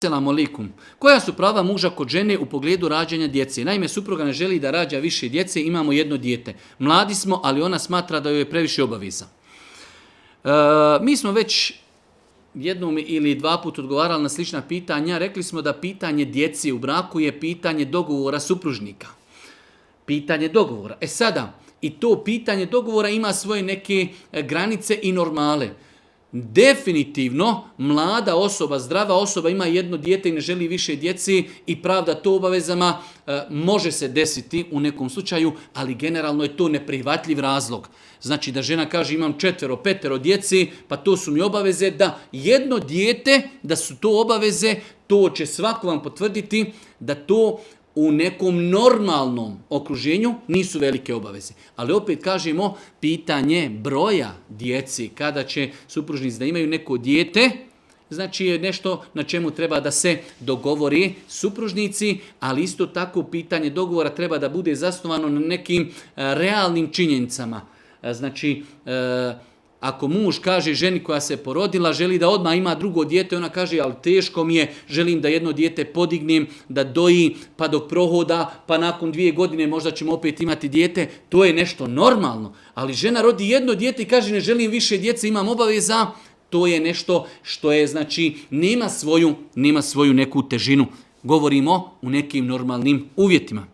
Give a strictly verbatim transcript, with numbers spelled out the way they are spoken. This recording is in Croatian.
Selamu alaikum. Koja su prava muža kod žene u pogledu rađanja djece? Naime, supruga ne želi da rađa više djece, imamo jedno dijete. Mladi smo, ali ona smatra da joj je previše obaveza. E, mi smo već jednom ili dva put odgovarali na slična pitanja. Rekli smo da pitanje djece u braku je pitanje dogovora supružnika. Pitanje dogovora. E sada, i to pitanje dogovora ima svoje neke granice i normale. Definitivno, mlada osoba, zdrava osoba ima jedno dijete i ne želi više djeci i pravda to obavezama, e, može se desiti u nekom slučaju, ali generalno je to neprihvatljiv razlog. Znači da žena kaže imam četvero, petero djeci, pa to su mi obaveze, da jedno dijete, da su to obaveze, to će svako vam potvrditi da to u nekom normalnom okruženju nisu velike obaveze. Ali opet kažemo, pitanje broja djeci, kada će supružnici da imaju neko dijete, znači je nešto na čemu treba da se dogovori supružnici, ali isto tako pitanje dogovora treba da bude zasnovano na nekim realnim činjenicama. Znači, ako muž kaže ženi koja se porodila, želi da odmah ima drugo dijete, ona kaže, ali teško mi je, želim da jedno dijete podignem, da doji, pa dok prohoda, pa nakon dvije godine možda ćemo opet imati dijete, to je nešto normalno. Ali žena rodi jedno dijete i kaže, ne želim više djece, imam obaveza, to je nešto što je, znači, nema svoju, nema svoju neku težinu. Govorimo u nekim normalnim uvjetima.